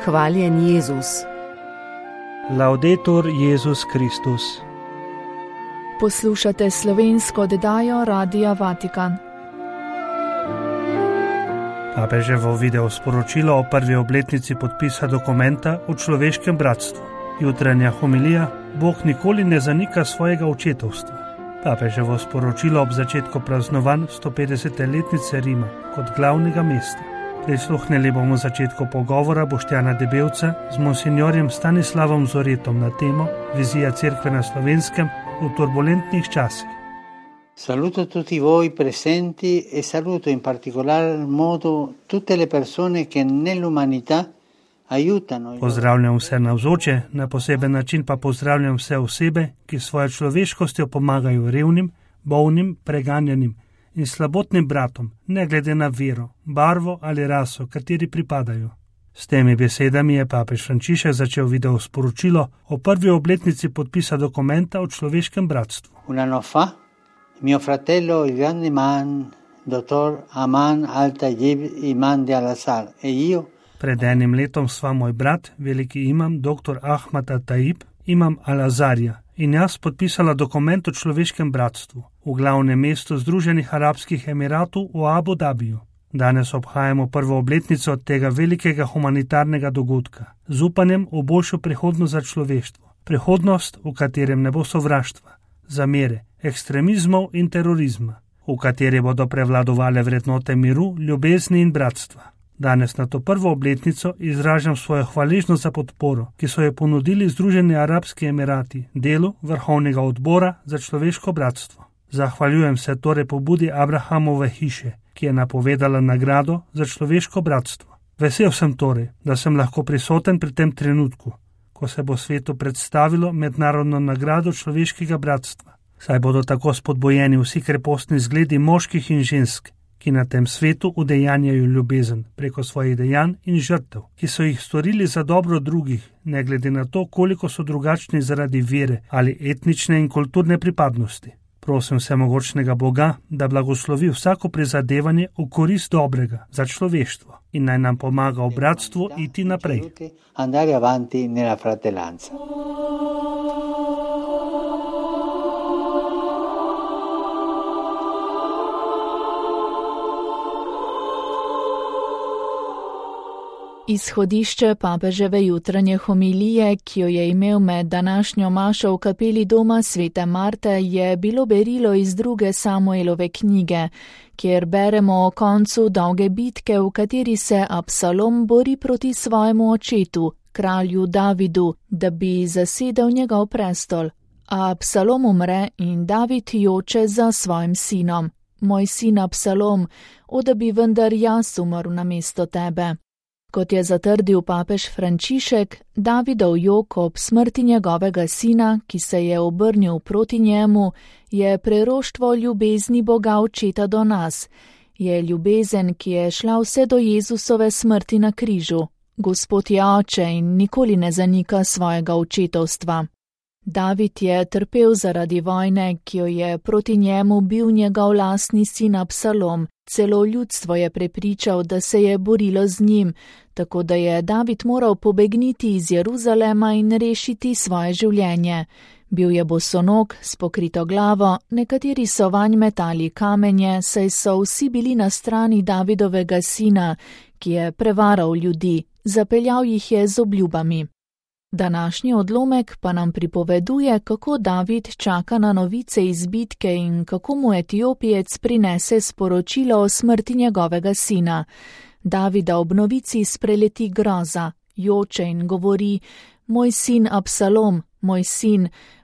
Hvaljen Jezus. Laudetur Jezus Kristus. Poslušate slovensko oddajo Radia Vatikan. Papeževo video sporočilo o prvi obletnici podpisa dokumenta o človeškem bratstvu. Jutranja homilija: Bog nikoli ne zanika svojega očetovstva. Papeževo sporočilo ob začetku praznovanj 150. letnice Rima kot glavnega mesta. Prisluhnili bomo začetku pogovora Boštjana Debevca z monsinjorjem Stanislavom Zoretom na temo Vizija cerkve na Slovenskem v turbulentnih časih. Saluto tutti voi presenti e saluto in particolar modo tutte le persone che nell'umanità aiutano. Pozdravljam vse navzoče, na poseben način pa pozdravljam vse osebe, ki svojo človeškostjo pomagajo revnim, bolnim, preganjanim in slabotnim bratom, ne glede na vero, barvo ali raso, kateri pripadajo. S temi besedami je papež Frančišek začel video sporočilo o prvi obletnici podpisa dokumenta o človeškem bratstvu. Un anno fa mio fratello, il grande imam, dottor Aman al-Tayyib Imam de Al-Azhar, e io. Pred enim letom sva moj brat, veliki imam, dr. Ahmad al-Tayyib, imam Al-Azharja, in jaz podpisala dokument o človeškem bratstvu v glavnem mestu Združenih arabskih emiratov v Abu Dabiju. Danes obhajamo prvo obletnico tega velikega humanitarnega dogodka z upanjem v boljšo prihodnost za človeštvo. Prihodnost, v katerem ne bo sovraštva, zamere, ekstremizmov in terorizma, v kateri bodo prevladovale vrednote miru, ljubezni in bratstva. Danes na to prvo obletnico izražam svojo hvaležnost za podporo, ki so jo ponudili Združeni arabski emirati delu Vrhovnega odbora za človeško bratstvo. Zahvaljujem se torej pobudi Abrahamove hiše, ki je napovedala nagrado za človeško bratstvo. Vesel sem torej, da sem lahko prisoten pri tem trenutku, ko se bo svetu predstavilo mednarodno nagrado človeškega bratstva. Saj bodo tako spodbojeni vsi krepostni zgledi moških in žensk, ki na tem svetu udejanjajo ljubezen preko svojih dejanj in žrtev, ki so jih storili za dobro drugih, ne glede na to, koliko so drugačni zaradi vere ali etnične in kulturne pripadnosti. Prosim vsemogočnega Boga, da blagoslovi vsako prizadevanje v korist dobrega za človeštvo in naj nam pomaga v bratstvu iti naprej. Andare avanti nella fratellanza. Izhodišče papeževe jutranje homilije, ki jo je imel med današnjo mašo v kapeli doma svete Marte, je bilo berilo iz 2. Samuelove knjige, kjer beremo o koncu dolge bitke, v kateri se Absalom bori proti svojemu očetu, kralju Davidu, da bi zasedel njegov prestol. A Absalom umre in David joče za svojim sinom. Moj sin Absalom, o da bi vendar jaz umrl namesto tebe. Kot je zatrdil papež Frančišek, Davidov jok ob smrti njegovega sina, ki se je obrnil proti njemu, je preroštvo ljubezni Boga očeta do nas. Je ljubezen, ki je šla vse do Jezusove smrti na križu. Gospod je oče in nikoli ne zanika svojega očetovstva. David je trpel zaradi vojne, ki jo je proti njemu bil njegov lastni sin Absalom. Celo ljudstvo je prepričal, da se je borilo z njim, tako da je David moral pobegniti iz Jeruzalema in rešiti svoje življenje. Bil je bosonog, s pokrito glavo, nekateri so vanj metali kamenje, saj so vsi bili na strani Davidovega sina, ki je prevaral ljudi, zapeljal jih je z obljubami. Današnji odlomek pa nam pripoveduje, kako David čaka na novice iz bitke in kako mu Etiopijec prinese sporočilo o smrti njegovega sina. Davida ob novici spreleti groza, joče in govori: Moj sin Absalom,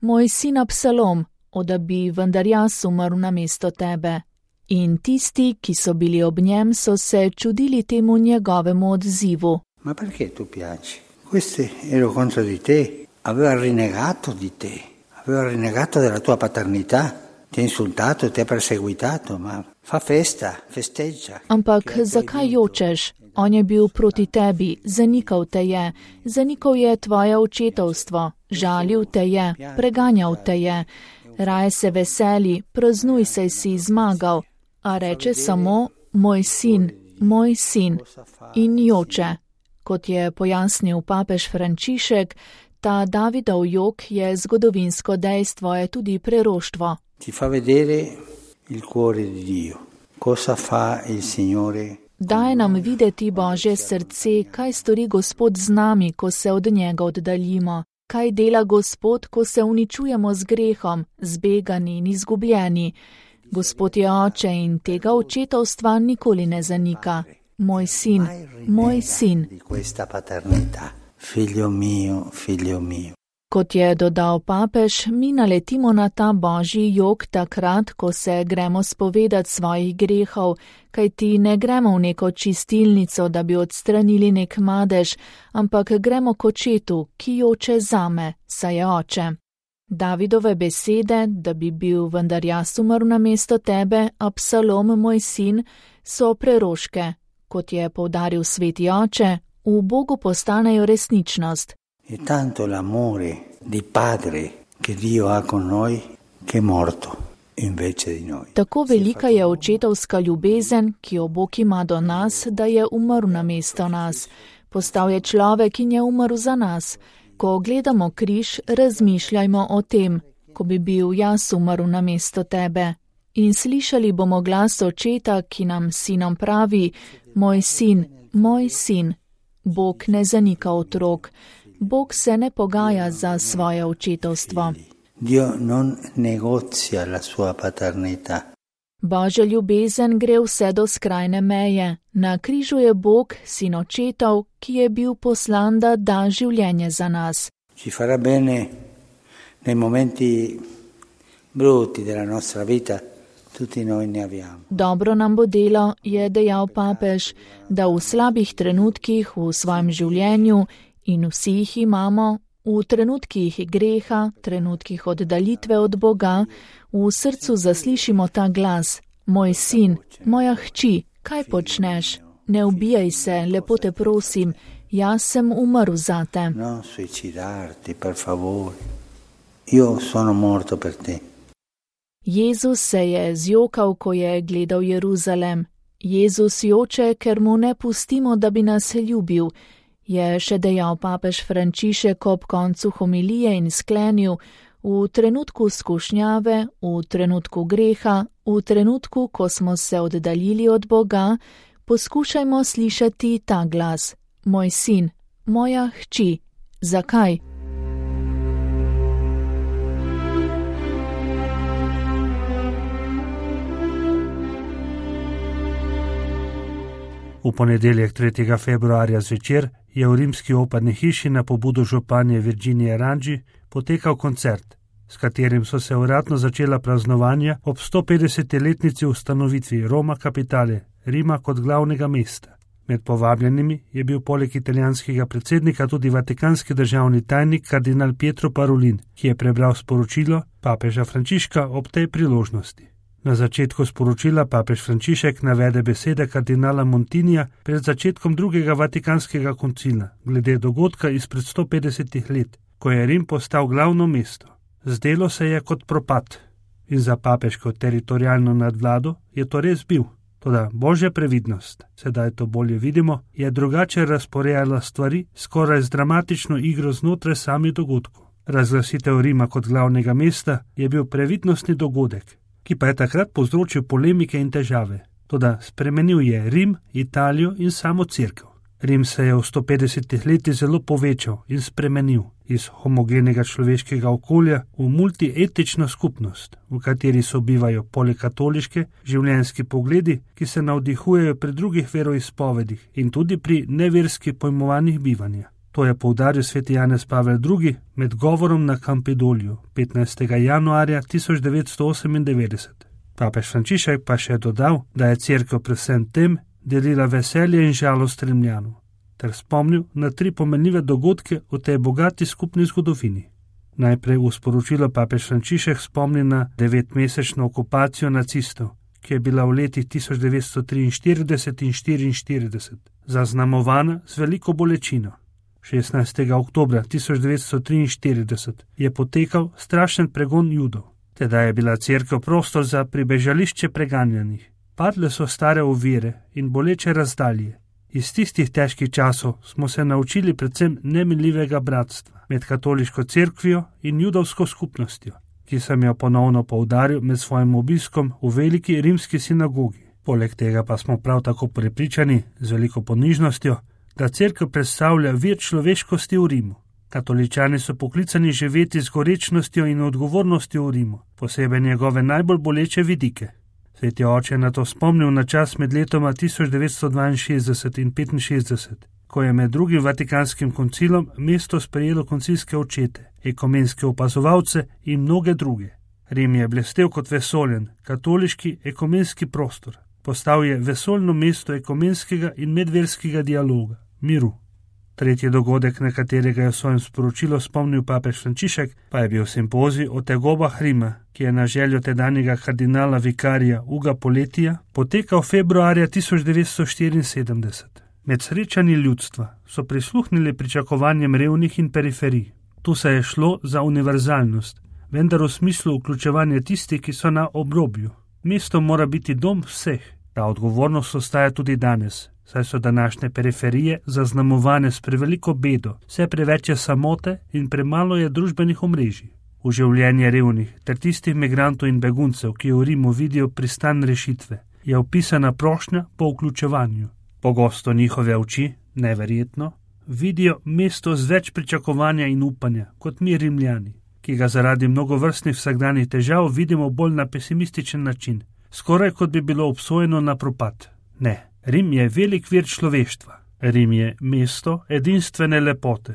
moj sin Absalom, o da bi vendar jaz umrl namesto tebe. In tisti, ki so bili ob njem, so se čudili temu njegovemu odzivu. Ma perché tu piangi? Questo ero contro di te, aveva rinnegato di te, aveva rinnegato della tua paternità, ti ha insultato, ti ha perseguitato, ma fa festa, festeggia. Ampak zakaj jočeš? On je bil proti tebi, zanikal te je, zanikal je tvoje očetovstvo, žalil te je, preganjal te je. Raje se veseli, praznuj, saj si zmagal, a reče samo moj sin in joče. Kot je pojasnil papež Frančišek, ta Davidov jok je zgodovinsko dejstvo, je tudi preroštvo. Ti fa vedere il cuore di Dio. Cosa fa il Signore? Daje nam videti Božje srce, kaj stori Gospod z nami, ko se od njega oddaljimo. Kaj dela Gospod, ko se uničujemo z grehom, zbegani in izgubljeni. Gospod je oče in tega očetovstva nikoli ne zanika. Moj sin, moj sin. Figlio mio, figlio mio. Kot je dodal papež, mi naletimo na ta Božji jok takrat, ko se gremo spovedati svojih grehov, kajti ne gremo v neko čistilnico, da bi odstranili nek madež, ampak gremo k očetu, ki joče zame, saj je oče. Davidove besede, da bi bil vendar jaz umrl namesto tebe, Absalom, moj sin, so preroške. Kot je poudaril sveti oče, v Bogu postanejo resničnost. È tanto l'amore di padre che Dio ha con noi che è morto invece di noi. Tako velika je očetovska ljubezen, ki jo Bog ima do nas, da je umrl namesto nas. Postal je človek in je umrl za nas. Ko gledamo križ, razmišljajmo o tem, ko bi bil jaz umrl namesto tebe. In slišali bomo glas očeta, ki nam sinom pravi: moj sin, moj sin. Bog ne zanika otrok. Bog se ne pogaja za svoje očetovstvo. Dio non negozia la sua paternità. Božja ljubezen gre vse do skrajne meje. Na križu je Bog, sin očetov, ki je bil poslan, da da življenje za nas. Ci farà bene nei momenti brutti della nostra vita. Tutti noi ne abbiamo. Dobro nam bo delo, je dejal papež, da v slabih trenutkih v svojem življenju, in vsi jih imamo, v trenutkih greha, trenutkih oddaljitve od Boga, v srcu zaslišimo ta glas: moj sin, moja hči, kaj počneš? Ne ubijaj se, lepo te prosim, jaz sem umrl zate. Non suicidarti, per favore. Io sono morto per te. Jezus se je zjokal, ko je gledal Jeruzalem. Jezus joče, ker mu ne pustimo, da bi nas ljubil, je še dejal papež Frančišek ob koncu homilije in sklenil: v trenutku skušnjave, v trenutku greha, v trenutku, ko smo se oddaljili od Boga, poskušajmo slišati ta glas: moj sin, moja hči. Zakaj? V ponedeljek 3. februarja zvečer je v rimski operni hiši na pobudo županje Virginije Rangi potekal koncert, s katerim so se uradno začela praznovanja ob 150-letnici ustanovitvi Roma Capitale, Rima kot glavnega mesta. Med povabljenimi je bil poleg italijanskega predsednika tudi vatikanski državni tajnik kardinal Pietro Parolin, ki je prebral sporočilo papeža Frančiška ob tej priložnosti. Na začetku sporočila papež Frančišek navede besede kardinala Montinija pred začetkom drugega vatikanskega koncila glede dogodka izpred 150 let, ko je Rim postal glavno mesto. Zdelo se je kot propad in za papeško teritorijalno nadvlado je to res bil. Toda Božja previdnost, sedaj to bolje vidimo, je drugače razporejala stvari skoraj z dramatično igro znotraj samih dogodkov. Razglasitev Rima kot glavnega mesta je bil previdnostni dogodek, ki pa je takrat povzročil polemike in težave. Toda spremenil je Rim, Italijo in samo cerkev. Rim se je v 150 letih zelo povečal in spremenil iz homogenega človeškega okolja v multietično skupnost, v kateri sobivajo polikatoliške življenjski pogledi, ki se navdihujejo pri drugih veroizpovedih in tudi pri neverski pojmovanjih bivanja. To je poudaril sveti Janez Pavel II med govorom na Campidoliju 15. januarja 1998. Papež Frančišek pa še dodal, da je cerkev predvsem tem delila veselje in žalost Rimljanov, ter spomnil na 3 pomenljive dogodke v tej bogati skupni zgodovini. Najprej v sporočilo papež Frančišek spomni na 9-mesečno okupacijo nacistov, ki je bila v letih 1943 in 1944 zaznamovana z veliko bolečino. 16. oktobra 1943 je potekal strašen pregon Judov. Teda je bila cerkev prostor za pribežališče preganjanih. Padle so stare ovire in boleče razdalje. Iz tistih težkih časov smo se naučili predvsem nemiljivega bratstva med katoliško cerkvijo in judovsko skupnostjo, ki sem jo ponovno poudaril med svojim obiskom v veliki rimski sinagogi. Poleg tega pa smo prav tako prepričani z veliko ponižnostjo, da cerkev predstavlja vir človeškosti v Rimu. Katoličani so poklicani živeti z gorečnostjo in odgovornostjo v Rimu, posebej njegove najbolj boleče vidike. Sveti oče je na to spomnil na čas med letoma 1962 in 1965, ko je med drugim Vatikanskim koncilom mesto sprejelo koncilske očete, ekumenske opazovalce in mnoge druge. Rim je blestel kot vesoljen, katoliški ekumenski prostor. Postal je vesoljno mesto ekumenskega in medverskega dialoga, miru. Tretji dogodek, na katerega je v svojem sporočilu spomnil papež Frančišek, pa je bil simpozij o tegobah Rima, ki je na željo tedanjega kardinala vikarija Uga Poletija potekal februarja 1974. Med srečanji ljudstva so prisluhnili pričakovanjem revnih in periferij. Tu se je šlo za univerzalnost, vendar v smislu vključevanja tistih, ki so na obrobju. Mesto mora biti dom vseh. Ta odgovornost ostaja tudi danes, saj so današnje periferije zaznamovane s preveliko bedo, vse preveč je samote in premalo je družbenih omrežij. V življenje revnih ter tistih migrantov in beguncev, ki v Rimu vidijo pristan rešitve, je opisana prošnja po vključevanju. Pogosto njihove oči, neverjetno, vidijo mesto z več pričakovanja in upanja kot mi Rimljani, ki ga zaradi mnogovrstnih vsakdanjih težav vidimo bolj na pesimističen način, skoraj kot bi bilo obsojeno na propad. Ne, Rim je velik vir človeštva. Rim je mesto edinstvene lepote.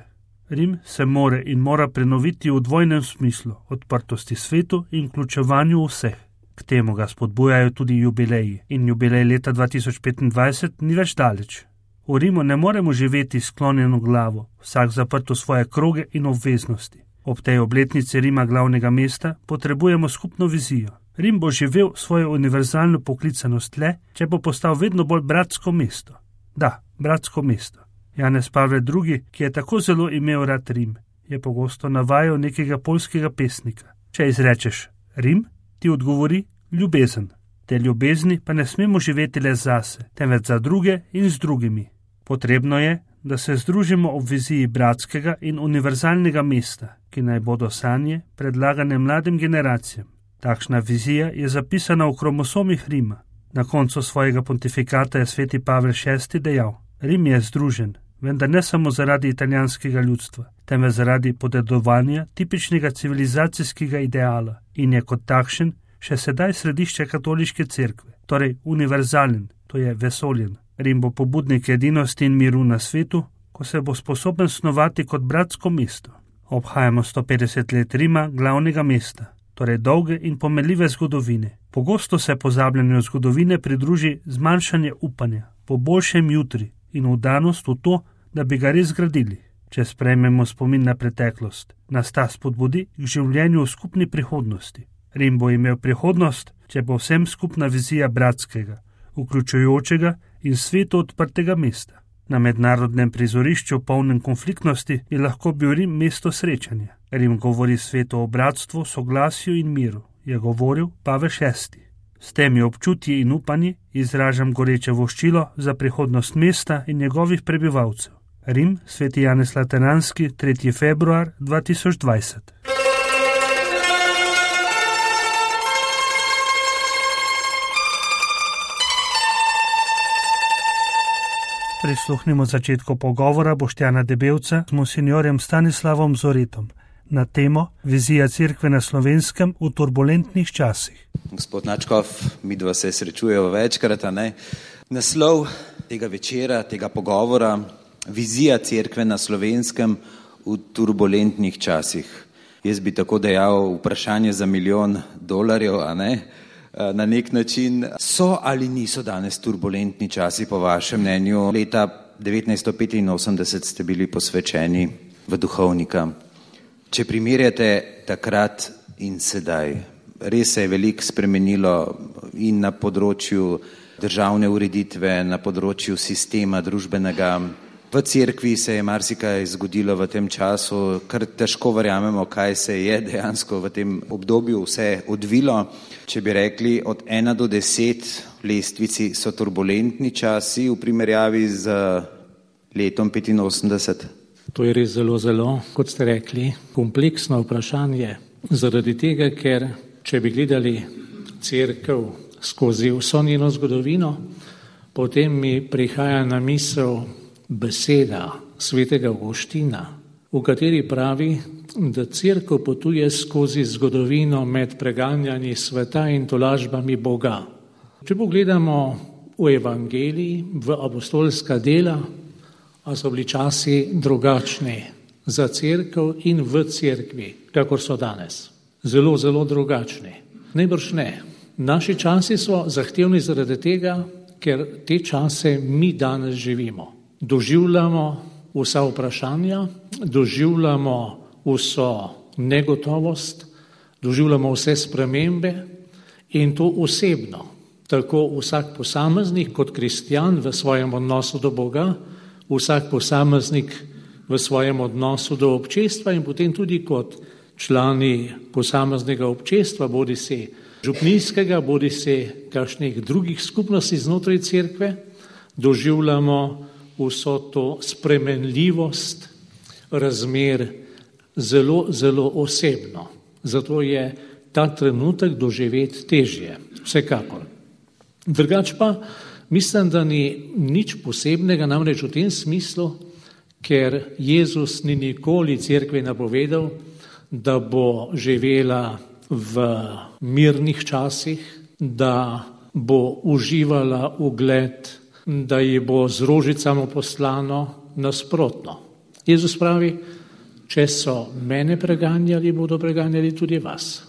Rim se mora prenoviti v dvojnem smislu, odprtosti svetu in vključevanju vseh. K temu ga spodbujajo tudi jubileji in jubilej leta 2025 ni več daleč. V Rimu ne moremo živeti sklonjeno glavo, vsak zaprt v svoje kroge in obveznosti. Ob tej obletnici Rima glavnega mesta potrebujemo skupno vizijo. Rim bo živel svojo univerzalno poklicanost le, če bo postal vedno bolj bratsko mesto. Da, bratsko mesto. Janez Pavel II., ki je tako zelo imel rad Rim, je pogosto navajal nekega poljskega pesnika. Če izrečeš Rim, ti odgovori ljubezen. Te ljubezni pa ne smemo živeti le zase, temveč za druge in z drugimi. Potrebno je, da se združimo ob viziji bratskega in univerzalnega mesta, ki naj bodo sanje predlagane mladim generacijam. Takšna vizija je zapisana v kromosomih Rima. Na koncu svojega pontifikata je sveti Pavel VI. Dejal: Rim je združen, vendar ne samo zaradi italijanskega ljudstva, temveč zaradi podedovanja tipičnega civilizacijskega ideala in je kot takšen še sedaj središče katoliške cerkve, torej univerzalen, to je vesoljen. Rim bo pobudnik edinosti in miru na svetu, ko se bo sposoben snovati kot bratsko mesto. Obhajamo 150 let Rima, glavnega mesta, torej dolge in pomenljive zgodovine. Pogosto se pozabljanju zgodovine pridruži zmanjšanje upanja po boljšem jutri in vdanost v to, da bi ga res zgradili. Če sprejmemo spomin na preteklost, nas ta spodbudi k življenju v skupni prihodnosti. Rim bo imel prihodnost, če bo vsem skupna vizija bratskega, vključujočega in svetu odprtega mesta. Na mednarodnem prizorišču polnem konfliktnosti je lahko bil Rim mesto srečanja. Rim govori svetu o bratstvu, soglasju in miru, je govoril Pavel VI. S temi občutji in upanji izražam goreče voščilo za prihodnost mesta in njegovih prebivalcev. Rim, sveti Janez Lateranski, 3. februar 2020. Prisluhnimo začetku pogovora Boštjana Debevca s monsinjorjem Stanislavom Zoretom na temo Vizija cerkve na Slovenskem v turbulentnih časih. Gospod Načkov, midva se srečujeva večkrat, Naslov tega večera, tega pogovora, Vizija cerkve na Slovenskem v turbulentnih časih. Jaz bi tako dejal vprašanje za $1 milijon, Na nek način so ali niso danes turbulentni časi po vašem mnenju? Leta 1985 ste bili posvečeni v duhovnika. Če primerjate takrat in sedaj, res se je veliko spremenilo in na področju državne ureditve, na področju sistema družbenega. V cerkvi se je marsikaj zgodilo v tem času, kar težko verjamemo, kaj se je dejansko v tem obdobju vse odvilo. Če bi rekli od 1 do 10 lestvici so turbulentni časi v primerjavi z letom 85. To je res zelo, kot ste rekli, kompleksno vprašanje. Zaradi tega, ker če bi gledali cerkev skozi vso njeno zgodovino, potem mi prihaja na misel beseda svetega Avguština, v kateri pravi, da cerkev potuje skozi zgodovino med preganjanji sveta in tolažbami Boga. Če pogledamo v evangeliji, v apostolska dela, a so bili časi drugačni za cerkev in v cerkvi, kakor so danes. Zelo drugačni. Najbrž ne. Naši časi so zahtevni zaradi tega, ker te čase mi danes živimo. Doživljamo vsa vprašanja, doživljamo vso negotovost, doživljamo vse spremembe in to osebno. Tako vsak posameznik kot kristjan v svojem odnosu do Boga, vsak posameznik v svojem odnosu do občestva in potem tudi kot člani posameznega občestva, bodisi župnijskega, bodisi kakšnih drugih skupnosti znotraj cerkve, doživljamo vso to spremenljivost razmer zelo osebno. Zato je ta trenutek doživeti težje, vsekakor. Drugač pa mislim, da ni nič posebnega, namreč v tem smislu, ker Jezus ni nikoli cerkvi napovedal, da bo živela v mirnih časih, da bo uživala ugled, da ji bo z rožicami poslano, nasprotno. Jezus pravi, če so mene preganjali, bodo preganjali tudi vas.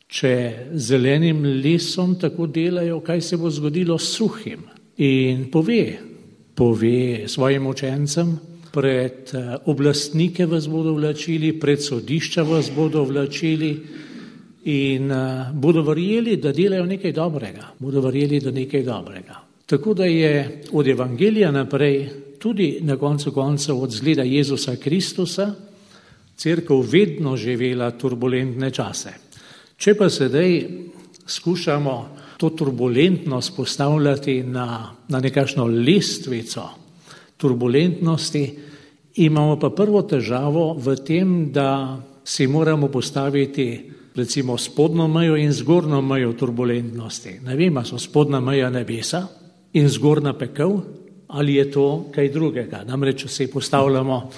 Če zelenim lesom tako delajo, kaj se bo zgodilo s suhim? In pove svojim učencem, pred oblastnike vas bodo vlačili, pred sodišča vas bodo vlačili in bodo verjeli, da delajo nekaj dobrega. Tako da je od evangelija naprej, tudi na koncu koncev od zgleda Jezusa Kristusa, cerkev vedno živela turbulentne čase. Če pa sedaj skušamo to turbulentnost postavljati na nekakšno lestvico turbulentnosti, imamo pa prvo težavo v tem, da si moramo postaviti recimo spodnjo mejo in zgornjo mejo turbulentnosti. Ne vem, so spodnja meja nebesa in zgornja pekel, ali je to kaj drugega. Namreč, če si postavljamo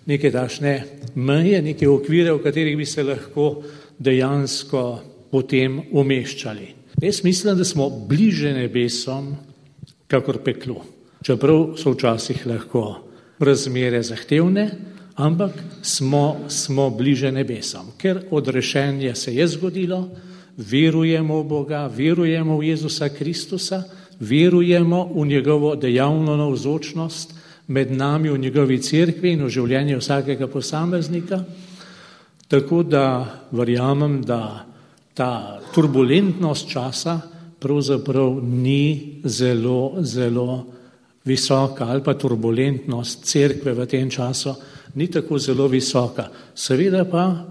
neke takšne meje, neke okvire, v katerih bi se lahko dejansko potem umeščali. Jaz mislim, da smo bliže nebesom, kakor peklu. Čeprav so včasih lahko razmere zahtevne, ampak smo bliže nebesom. Ker odrešenje se je zgodilo, verujemo v Boga, verujemo v Jezusa Kristusa, verujemo v njegovo dejavno navzočnost med nami, v njegovi cerkvi in v življenju vsakega posameznika. Tako da verjamem, da ta turbulentnost časa pravzaprav ni zelo visoka, ali pa turbulentnost cerkve v tem času ni tako zelo visoka. Seveda pa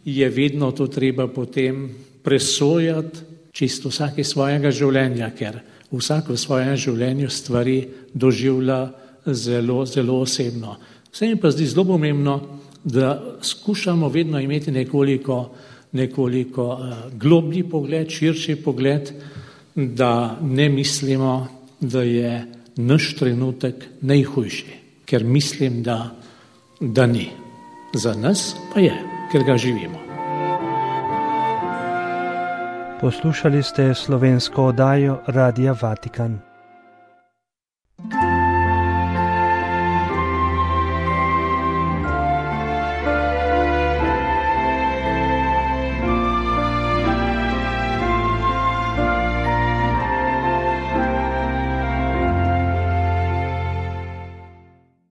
je vedno to treba potem presojati čisto vsake svojega življenja, ker vsak v svojem življenju stvari doživlja zelo osebno. Vse mi pa zdi zelo pomembno, da skušamo vedno imeti nekoliko globlji pogled, širši pogled, da ne mislimo, da je naš trenutek najhujši, ker mislim, da ni. Za nas pa je, ker ga živimo. Poslušali ste slovensko oddajo Radia Vatikan.